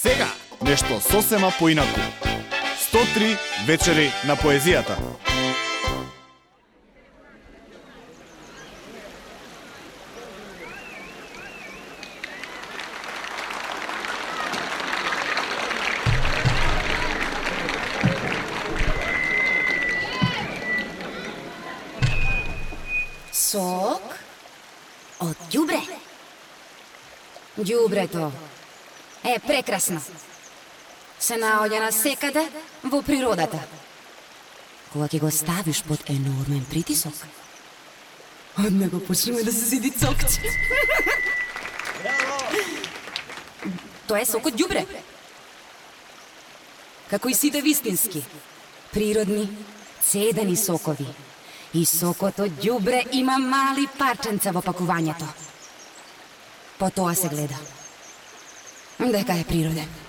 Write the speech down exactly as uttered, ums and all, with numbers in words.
сега, нешто сосема поинаку. сто три вечери на поезијата. Сок од ѓубре. Ѓубрето е прекрасно. Се наоѓа на секаде во природата. Кога ќе го ставиш под енормен притисок, од него почнува да се зиди цокче. Тоа е сок од ѓубре. Како и сите вистински, природни, цедени сокови. И сокот од ѓубре има мали парченца во пакувањето. По тоа се гледа дека е природен.